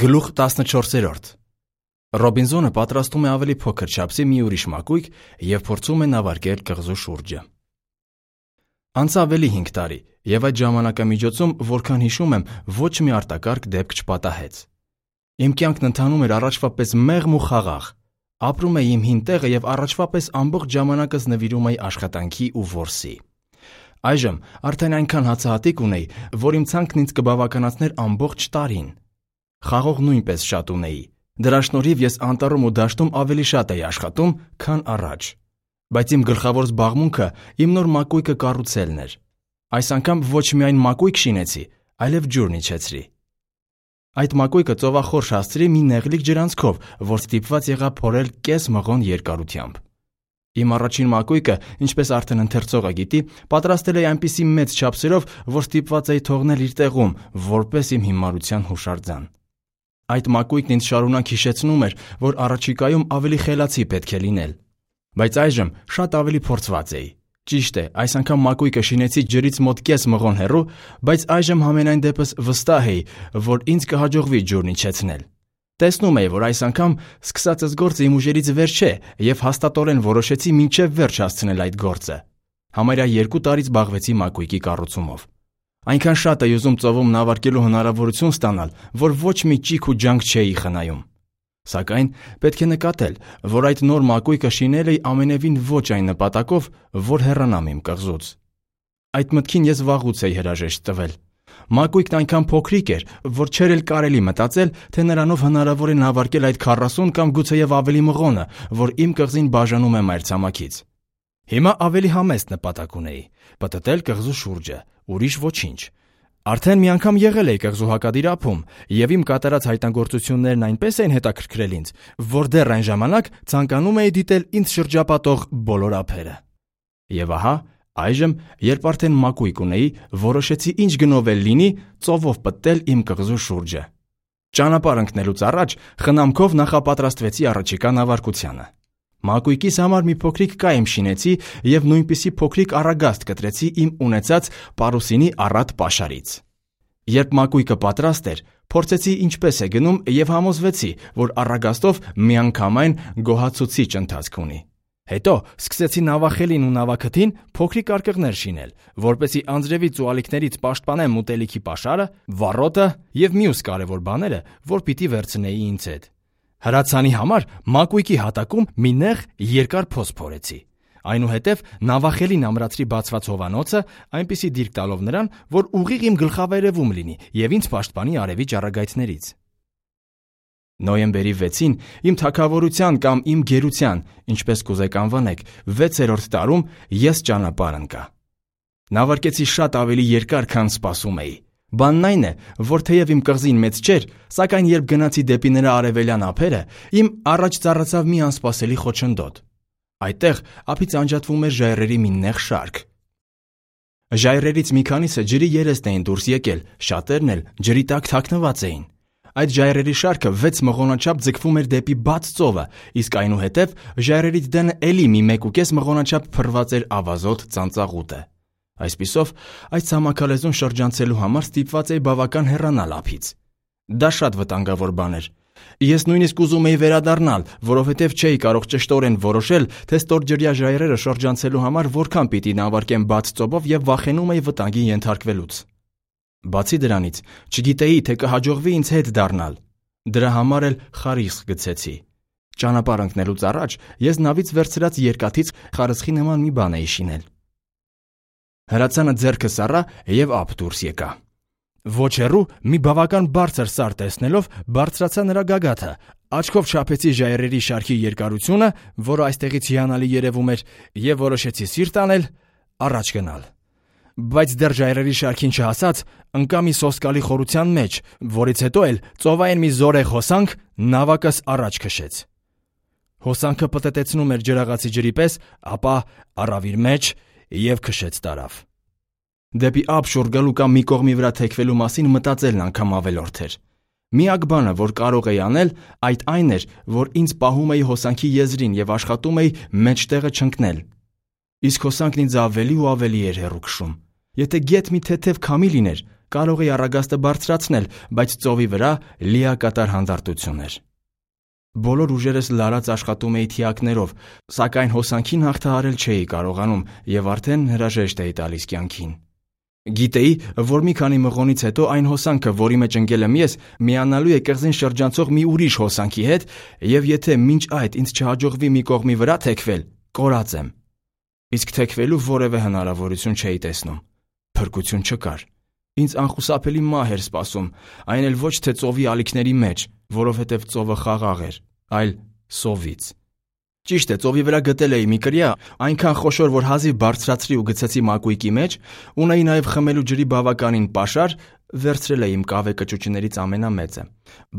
Գլուխ 14. Ռոբինզոնը պատրաստում է ավելի փոքր չափսի մի ուրիշ մակույկ և փորձում է նավարկել կղզու շուրջը։ Անցավ ավելի 5 տարի, և այդ ժամանակամիջոցում, որքան հիշում եմ, ոչ մի արտակարգ դեպք չպատահեց։ Իմ կյանքն ընթանում էր առաջվա պես մեղմ ու խաղաղ։ Ապրում էի իմ հին տեղը և առաջվա պես ամբողջ ժամանակս նվիրում էի աշխատանքի ու որսի։ Այժմ արդեն այնքան հացահատիկ ունեի, որ իմ ցանկն ինձ կբավականացներ ամբողջ տարին։ Խաղող նույնպես շատ ունեի։ Դրա շնորհիվ ես անտառում ու դաշտում ավելի շատ էի աշխատում, քան առաջ։ Բայց իմ գլխավոր զբաղմունքը իմ նոր մակույկը կառուցելն էր։ Այս անգամ ոչ միայն մակույկ շինեցի, այլև ջուրն իջեցրի։ Այդ մակույկը ծովախորշ հասցրի մի նեղլիկ ջրանցքով, որ ստիպված եղա փորել կես մղոն երկարությամբ։ Իմ առաջին մակույկը, ինչպես արդեն ընթերցողը գիտի, պատրաստել էի այնպիսի մեծ չափսերով, որ ստիպված էի թողնել իր տեղում, որպես իմ հիմարության հուշարձան։ Այդ մակույկն ինձ շարունակ հիշեցնում էր, որ առաջիկայում ավելի խելացի պետք է լինել։ Բայց այժմ շատ ավելի փորձված էի։ Ճիշտ է, այս անգամ մակույկը շինեցի ջրից մոտ կես մղոն հեռու, բայց այժմ համենայն դեպս վստահ էի, որ ինձ կհաջողվի ջուրն իջեցնել։ Տեսնում էի, որ այս անգամ սկսածս գործը իմ ուժերից վեր չէ, և հաստատորեն որոշեցի մինչև վերջ հասցնել այդ գործը։ Համարյա 2 տարի զբաղվեցի մակույկի կառուցումով։ Այնքան շատ էի ուզում ծովում նավարկելու հնարավորություն ստանալ, որ ոչ մի ճիք ու ջանք չէի խնայում։ Սակայն պետք է նկատել, որ այդ նոր մակույկը շինել էի ամենևին ոչ այն նպատակով, որ հեռանամ իմ կղզուց։ Այդ մտքին ես վաղուց էի հրաժեշտ տվել։ Մակույկն այնքան փոքրիկ էր, որ չէր էլ կարելի մտածել, թե նրանով հնարավոր է նավարկել այդ 40 կամ գուցեև ավելի մղոնը, որ իմ կղզին բաժանում է մայրցամաքից։ Հիմա ավելի համեստ նպատակ ունեի՝ պտտել կղզու շուրջը, ուրիշ ոչինչ։ Արդեն մի անգամ եղել էի կղզու հակադիր ափում, և իմ կատարած հայտնագործություններն այնպես էին հետաքրքրել ինձ, որ դեռ այն ժամանակ ցանկանում էի դիտել ինձ շրջապատող բոլոր ափերը։ Եվ ահա, այժմ, երբ արդեն մակույկ ունեի, որոշեցի ինչ գնով էլ լինի ծովով պտտել իմ կղզու շուրջը։ Ճանապարհ ընկնելուց առաջ խնամքով նախապատրաստվեցի առաջիկա նավարկությանը։ Մակույկիս համար մի փոքրիկ կայմ շինեցի և նույնպիսի փոքրիկ առագաստ կտրեցի իմ ունեցած պարուսինի առատ պաշարից։ Երբ մակույկը պատրաստ էր, փորձեցի ինչպես է գնում և համոզվեցի, որ առագաստով միանգամայն գոհացուցիչ ընթացք ունի։ Հետո սկսեցի նավախելին ու նավաքթին փոքրիկ արկղներ շինել, որպեսզի անձրևից ու ալիքներից պաշտպանեմ ուտելիքի պաշարը, վառոտը և մյուս կարևոր բաները, որ պիտի վերցնեի ինձ հետ։ Հրացանի համար մակույկի հատակում մի նեղ երկար փոս փորեցի։ Այնուհետև նավախելին ամրացրի բացված հովանոցը, այնպիսի դիրք տալով նրան, որ ուղիղ իմ գլխավերևում լինի և ինձ պաշտպանի արևի ճառագայթներից։ Նոյեմբերի 6-ին իմ թագավորության կամ իմ գերության, ինչպես կուզեք անվանեք, 6-րդ տարում ես ճանապարհ ընկա։ Նավարկեցի շատ ավելի երկար, քան սպասում էի։ Բանն այն է, որ թեև իմ կղզին մեծ չէր, սակայն երբ գնացի դեպի նրա արևելյան ափերը, իմ առաջ ծառացավ մի անսպասելի խոչընդոտ։ Այդտեղ ափից անջատվում էր ժայռերի մի նեղ շարք։ Ժայռերից մի քանիսը ջրի երեստ էին դուրս եկել, շատերն էլ ջրի տակ թաքնված էին։ Այդ ժայռերի շարքը 6 մղոնաչափ ձգվում էր դեպի բաց ծովը, իսկ այնուհետև ժայռերից դենը էլի մի 1.5 մղոնաչափ փռված էր ավազոտ ծանծաղուտը։ Այսպիսով, այս ցամաքալեզուն շրջանցելու համար ստիպված էի բավական հեռանալ ափից։ Դա շատ վտանգավոր բան էր։ Ես նույնիսկ ուզում էի վերադառնալ, որովհետև չէի կարող ճշտորեն որոշել, թե ստորջրյա ժայռերը շրջանցելու համար որքան պիտի նավարկեմ բաց ծովով և վախենում էի վտանգի ենթարկվելուց։ Բացի դրանից, չգիտեի, թե կհաջողվի ինձ հետ դառնալ։ Դրա համար էլ խարիսխ գցեցի։ Ճանապարհ ընկնելուց առաջ ես նավից վերցրած երկաթից խարսխի նման մի բան էի շինել։ Հրացանը ձեռքս առա և ափ դուրս եկա։ Ոչ հեռու մի բավական բարձր սար տեսնելով բարձրացա նրա գագաթը, աչքով չափեցի ժայռերի շարքի երկարությունը, որը այստեղից հիանալի երևում էր, և որոշեցի սիրտ անել առաջ գնալ։ Բայց դեռ ժայռերի շարքին չհասած, ընկա մի սոսկալի խորության մեջ, որից հետո էլ ծովային մի զորեղ հոսանք նավակս առաջ քշեց։ Հոսանքը պտտեցնում էր ջրաղացի ջրի պես, ապա առավ իր մեջ և քշեց տարավ։ Դեպի ափ շուռ գալու կամ մի կողմի վրա թեքվելու մասին մտածելն անգամ ավելորդ էր։ Միակ բանը, որ կարող էի անել, այդ այն էր, որ ինձ պահում էի հոսանքի եզրին և աշխատում էի մեջտեղը չընկնել։ Իսկ հոսանքն ինձ ավելի ու ավելի էր հեռու քշում։ Եթե գեթ մի թեթև քամի լիներ, կարող էի առագաստը բարձրացնել, բայց ծովի վրա լիակատար հանդարտություն էր։ Բոլոր ուժերս լարած աշխատում էի թիակներով, սակայն հոսանքին հաղթահարել չէի կարողանում և արդեն հրաժեշտ էի տալիս կյանքին։ Գիտեի, որ մի քանի մղոնից հետո այն հոսանքը, որի մեջ ընկել եմ ես, միանալու է կղզին շրջանցող մի ուրիշ հոսանքի հետ, և եթե մինչ այդ ինձ չհաջողվի մի կողմի վրա թեքվել, կորած եմ։ Իսկ թեքվելու որևէ հնարավորություն չէի տեսնում։ Փրկություն չկար։ Ինձ անխուսափելի մահ էր սպասում, այն էլ ոչ թե ծովի ալիքների մեջ, որովհետև ծովը խաղաղ էր, այլ սովից։ Ճիշտ է, ծովի վրա գտել էի մի կրիա, այնքան խոշոր, որ հազիվ բարձրացրի ու գցեցի մակույկի մեջ, ունեի նաև խմելու ջրի բավականին պաշար, վերցրել էի իմ կավե կճուճներից ամենամեծը։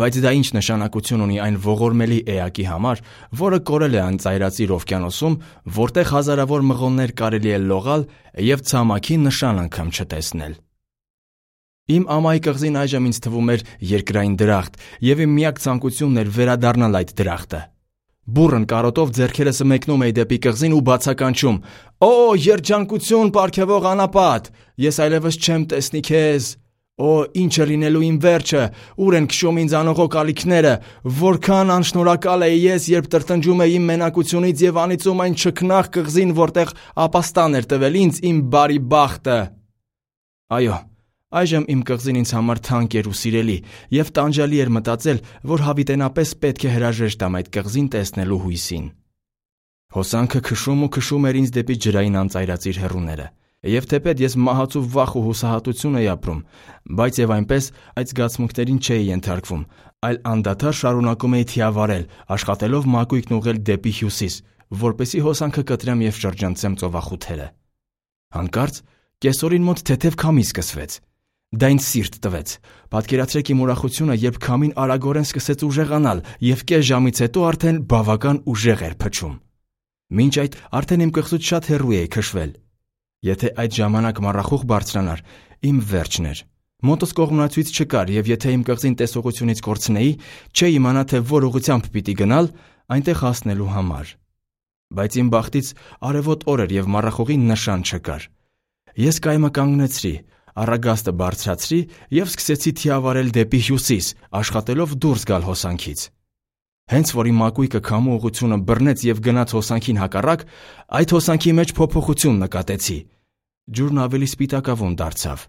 Բայց դա ինչ նշանակություն ունի այն ողորմելի էակի համար, որը կորել է անծայրածիր օվկիանոսում, որտեղ հազարավոր մղոններ կարելի է լողալ և ցամաքի նշան անգամ չտեսնել։ Իմ ամայի կղզին այժմ ինձ թվում էր երկրային դրախտ, և իմ միակ ցանկությունն էր վերադառնալ այդ դրախտը։ Բուռն կարոտով ձեռքերս մեկնում էի դեպի կղզին ու բացականչում. «Օ, երջանկություն, պարգևող անապատ, ես այլևս չեմ տեսնի քեզ։ Օ, ինչ է լինելու իմ վերջը, ուր են քշում ինձ անողոք ալիքները, որքան անշնորհակալ էի ես, երբ տրտնջում էի իմ մենակությունից և անիծում այն չքնաղ կղզին, որտեղ ապաստան էր տվել ինձ իմ բարի բախտը»։ Այո, այժմ իմ կղզին ինձ համար թանկ էր ու սիրելի, և տանջալի էր մտածել, որ հավիտենապես պետք է հրաժեշտ տամ այդ կղզին տեսնելու հույսին։ Հոսանքը քշում ու քշում էր ինձ դեպի ջրային անծայրածիր հեռուները, և թեպետ ես մահացու վախ ու հուսահատություն էի ապրում, բայց և այնպես այդ զգացմունքներին չէի ենթարկվում, այլ անդադար շարունակում էի թիավարել, աշխատելով մակույկն ուղղել դեպի հյուսիս, որպեսզի հոսանքը կտրեմ և շրջանցեմ ծովախութերը։ Հանկարծ կեսօրին մոտ թեթև քամի սկսվեց։ Դա ինձ սիրտ տվեց։ Պատկերացրեք իմ ուրախությունը, երբ քամին արագորեն սկսեց ուժեղանալ և կես ժամից հետո արդեն բավական ուժեղ էր փչում։ Մինչ այդ արդեն իմ կղզուց շատ հեռու էի քշվել։ Եթե այդ ժամանակ մառախուղ բարձրանար, իմ վերջն էր։ Մոտս կողմնացույց չկար, և եթե իմ կղզին տեսողությունից կորցնեի, չէի իմանա, թե որ ուղղությամբ պիտի գնալ այնտեղ հասնելու համար։ Բայց իմ բախտից արևոտ օր էր և մառախուղի նշան չկար։ Ես կայմը կանգնեցրի, առագաստը բարձրացրի և սկսեցի թիավարել դեպի հյուսիս, աշխատելով դուրս գալ հոսանքից։ Հենց որ իմ մակույկը քամու ուղղությունը բռնեց և գնաց հոսանքին հակառակ, այդ հոսանքի մեջ փոփոխություն նկատեցի։ Ջուրն ավելի սպիտակավուն դարձավ։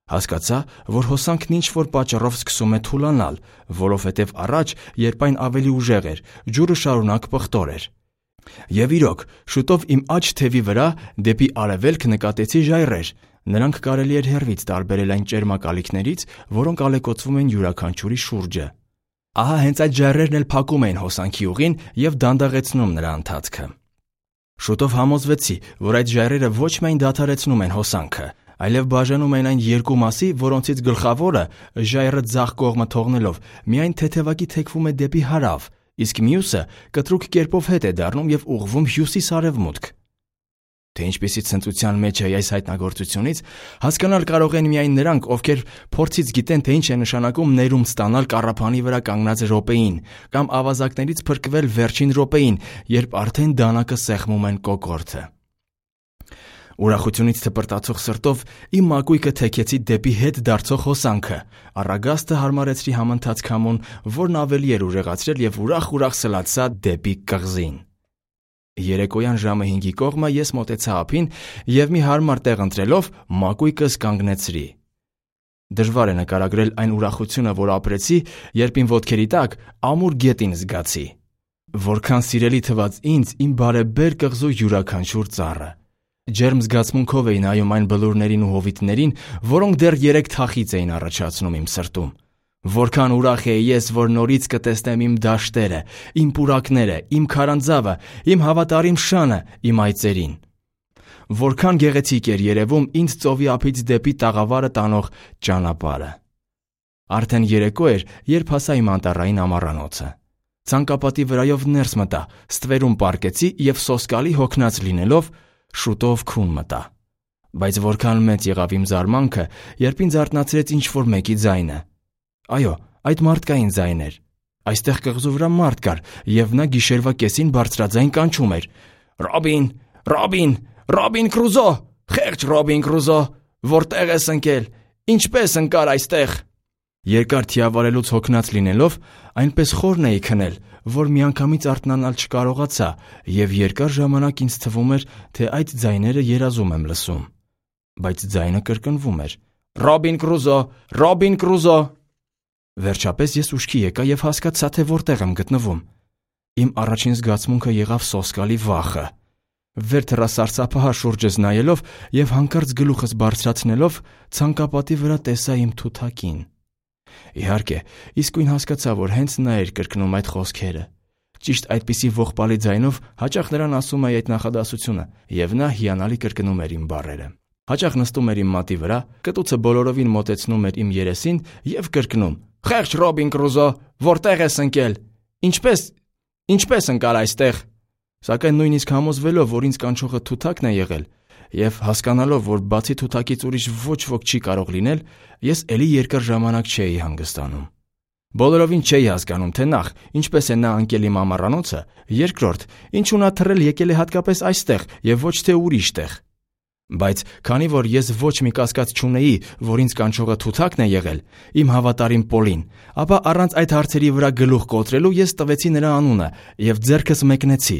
Հասկացա, որ հոսանքն ինչ-որ պատճառով սկսում է թուլանալ, որովհետև առաջ, երբ այն ավելի ուժեղ էր, ջուրը շարունակ պղտոր էր։ Եվ իրոք, շուտով իմ աջ թևի վրա դեպի արևելք նկատեցի ժայռեր։ Նրանք կարելի էր հեռվից տարբերել այն ճերմակ ալիքներից, որոնք ալեկոծվում են յուրաքանչյուրի շուրջը։ Ահա հենց այդ ժայռերն էլ փակում էին հոսանքի ուղին և դանդաղեցնում նրա ընթացքը։ Շուտով համոզվեցի, որ այդ ժայռերը ոչ միայն դադարեցնում են հոսանքը, այլև բաժանում են այն երկու մասի, որոնցից գլխավորը, ժայռը ձախ կողմը թողնելով, միայն թեթևակի թեքվում է դեպի հարավ, իսկ մյուսը կտրուկ կերպով հետ է դառնում և ուղղվում հյուսիս-արևմուտք։ Թե ինչպիսի ցնծության մեջ է այս հայտնագործությունից, հասկանալ կարող են միայն նրանք, ովքեր փորձից գիտեն, թե ինչ է նշանակում ներում ստանալ կառափանի վրա կանգնած րոպեին, կամ ավազակներից փրկվել վերջին րոպեին, երբ արդեն դանակը սեղմում են կոկորդը։ Ուրախությունից թպրտացող սրտով իմ մակույկը թեքեցի դեպի հետ դարձող հոսանքը, առագաստը հարմարեցրի համընթաց քամուն, որն ավելի էր ուժեղացրել և ուրախ-ուրախ սլացա դեպի կղզին։ Երեկոյան ժամը 5-ի կողմը ես մոտեցա ափին և մի հարմար տեղ ընտրելով մակույկս կանգնեցրի։ Դժվար է նկարագրել այն ուրախությունը, որ ապրեցի, երբ իմ ոտքերի տակ ամուր գետին զգացի։ Որքան սիրելի թվաց ինձ իմ բարեբեր կղզու յուրաքանչյուր ծառը։ Ջերմ զգացմունքով էի նայում այն բլուրներին ու հովիտներին, որոնք դեռ 3 թախիծ էին առաջացնում իմ սրտում։ Որքան ուրախ էի ես, որ նորից կտեսնեմ իմ դաշտերը, իմ պուրակները, իմ քարանձավը, իմ հավատարիմ շանը, իմ այծերին։ Որքան գեղեցիկ էր երևում ինձ ծովի ափից դեպի տաղավարը տանող ճանապարհը։ Արդեն երեկո էր, երբ հասա իմ անտառային ամառանոցը։ Ցանկապատի վրայով ներս մտա, ստվերում պառկեցի և սոսկալի հոգնած լինելով շուտով քուն մտա։ Բայց որքան մեծ եղավ իմ զարմանքը, երբ ինձ արթնացրեց ինչ-որ մեկի ձայնը։ Այո, այդ մարդկային ձայն էր։ Այստեղ կղզու վրա մարդ կար, և նա գիշերվա կեսին բարձրաձայն կանչում էր. «Ռոբին, Ռոբին, Ռոբին Կրուզո, խեղճ Ռոբին Կրուզո, որտեղ ես ընկել։ Ինչպե՞ս ընկար այստեղ։ Երկար թիավարելուց հոգնած լինելով, այնպես խորն էի քնել, որ միանգամից արթնանալ չկարողացա, եւ երկար ժամանակ ինձ թվում էր, թե այդ ձայները երազում եմ լսում։ Բայց ձայնը կրկնվում էր. «Ռոբին Կրուզո, Ռոբին Կրուզո»։ Վերջապես ես ուշքի եկա եւ հասկացա, թե որտեղ եմ գտնվում։ Իմ առաջին զգացմունքը եղավ սոսկալի վախը։ Վեր թռա սարսափահար շուրջս նայելով եւ հանկարծ գլուխս բարձրացնելով ցանկապատի վրա տեսա իմ թութակին։ Իհարկե, իսկույն հասկացա, որ հենց նա էր կրկնում այդ խոսքերը։ Ճիշտ այդպիսի ողբալի ձայնով հաճախ նրան ասում էի այդ նախադասությունը, եւ նա հիանալի կրկնում էր իմ բառերը։ Հաճախ նստում էր իմ մատի վրա, կտուցը բոլորովին մոտեցնում էր իմ երեսին եւ կրկնում. «Խեղճ Ռոբին Կրուզո, որտեղ ես ընկել։ Ինչպես ընկար այստեղ»։ Սակայն նույնիսկ համոզվելով, որ ինձ կանչողը թութակն է եղել, եւ հասկանալով, որ բացի թութակից ուրիշ ոչ ոք չի կարող լինել, ես էլի երկար ժամանակ չէի հանգստանում։ Բոլորովին չէի հասկանում, թե նախ, ինչպես է նա ընկել իմ ամառանոցը, երկրորդ, ինչու նա թռել եկել է հատկապես այստեղ եւ ոչ թե ուրիշ տեղ։ Բայց քանի որ ես ոչ մի կասկած չունեի, որ ինձ կանչողը թութակն է եղել, իմ հավատարիմ Պոլին, ապա առանց այդ հարցերի վրա գլուխ կոտրելու ես տվեցի նրա անունը եւ ձեռքս մեկնեցի։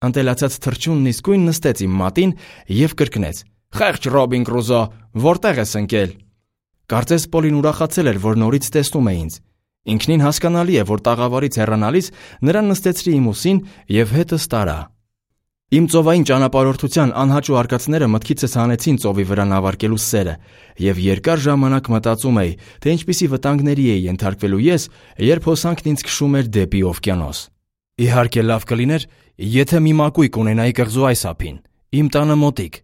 Ընտելացած թռչունն իսկույն նստեց իմ մատին եւ կրկնեց. «Խեղճ Ռոբին Կրուզո, որտեղ ես ընկել»։ Կարծես Պոլին ուրախացել էր, որ նորից տեսնում է ինձ։ Ինքնին հասկանալի է, որ տաղավարից հեռանալիս նրան նստեցրի իմ ուսին եւ հետս տարա։ Իմ ծովային ճանապարհորդության անհաճո արկածները մտքիցս հանեցին ծովի վրա նավարկելու սերը, եւ երկար ժամանակ մտածում էի, թե ինչպիսի վտանգների էի ենթարկվելու ես, երբ հոսանքն ինձ քշում էր դեպի օվկիանոս։ Իհարկե լավ կլիներ, եթե մի մակույկ ունենայի կղզու այս ափին, իմ տանը մոտիկ,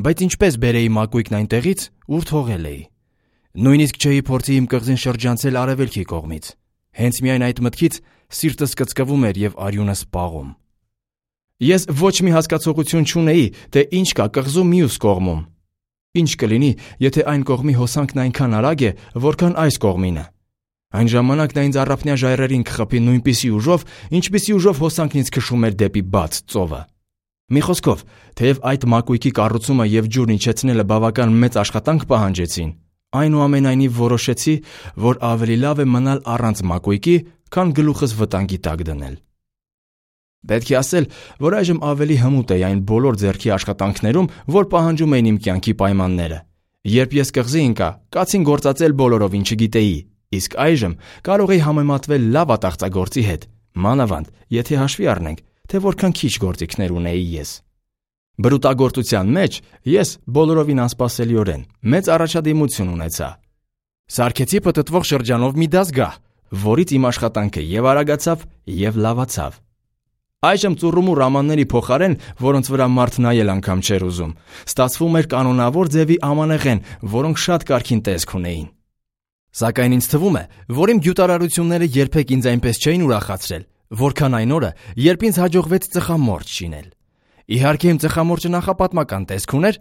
բայց ինչպես բերեի մակույկն այնտեղից, ուր թողել էի։ Նույնիսկ չէի փորձի իմ կղզին շրջանցել արևելքի կողմից։ Հենց միայն այդ մտքից սիրտս կծկվում էր եւ արյունս պաղում։ Ես ոչ մի հասկացողություն չունեի, թե ինչ կա կղզու մյուս կողմում։ Ինչ կլինի, եթե այն կողմի հոսանքն այնքան արագ է, որքան այս կողմինը։ Այն ժամանակ նա ինձ առափնյա ժայռերին կխփի նույնպիսի ուժով, ինչպիսի ուժով հոսանքն ինձ քշում էր դեպի բաց ծովը։ Մի խոսքով, թեև այդ մակույկի կառուցումը եւ ջուրն իջեցնելը բավական մեծ աշխատանք պահանջեցին, այնուամենայնիվ որոշեցի, որ ավելի լավ է մնալ առանց մակույկի, քան գլուխս վտանգի տակ դնել։ Պետք է ասել, որ այժմ ավելի հմուտ էի այն բոլոր ձեռքի աշխատանքներում, որ պահանջում էին իմ կյանքի պայմանները։ Երբ ես կղզի ընկա, կացին գործածել բոլորովին չգիտեի, իսկ այժմ կարող էի համեմատվել լավ ատաղծագործի հետ, մանավանդ, եթե հաշվի առնենք, թե որքան քիչ գործիքներ ունեի ես։ Բրուտագործության մեջ ես բոլորովին անսպասելիորեն մեծ առաջադիմություն ունեցա։ Սարքեցի պտտվող շրջանով մի դասգահ, որից իմ աշխատանքը եւ արագացավ, եւ լավացավ։ Այժմ ծուռումուռ ամանների փոխարեն, որոնց վրա մարդ նայել անգամ չէր ուզում, ստացվում էր կանոնավոր ձևի ամանեղեն, որոնք շատ կարքին տեսք ունեին։ Սակայն ինձ թվում է, որ իմ գյուտարարությունները երբեք ինձ այնպես չէին ուրախացրել, որքան այն օրը, երբ ինձ հաջողվեց ծխամորճ շինել։ Իհարկե իմ ծխամորճը նախապատմական տեսք ուներ,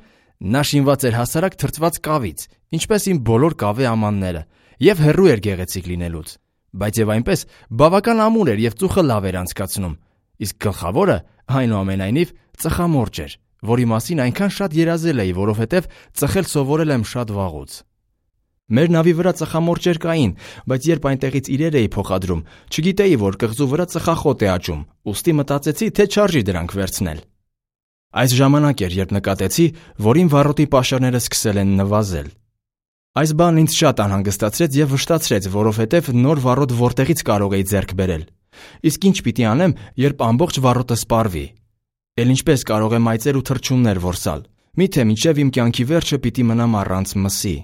նա շինված էր հասարակ թրծված կավից, ինչպես իմ բոլոր կավե ամանները, եւ հեռու էր գեղեցիկ լինելուց, բայց եւ այնպես բավական ամուր էր եւ ծուխը լավ էր անցկացնում, իսկ գլխավորը այնուամենայնիվ ծխամորճ էր, որի մասին այնքան շատ երազել էի, որովհետեւ ծխել սովորել եմ շատ վաղուց։ Մեր նավի վրա ծխամորճեր կային, բայց երբ այնտեղից իրեր էի փոխադրում, չգիտեի, որ կղզու վրա ծխախոտ է աճում, ուստի մտածեցի, թե չարժի դրանք վերցնել։ Այս ժամանակ էր, երբ նկատեցի, որ իմ վառոտի պաշարները սկսել են նվազել։ Այս բանն ինձ շատ անհանգստացրեց եւ վշտացրեց, որովհետեւ նոր վառոտ որտեղից կարող էի ձեռք բերել։ Իսկ ինչ պիտի անեմ, երբ ամբողջ վառոտը սպառվի։ Էլ ինչպես կարող եմ այծեր ու թռչուններ որսալ։ Միթե մինչև իմ կյանքի վերջը պիտի մնամ առանց մսի։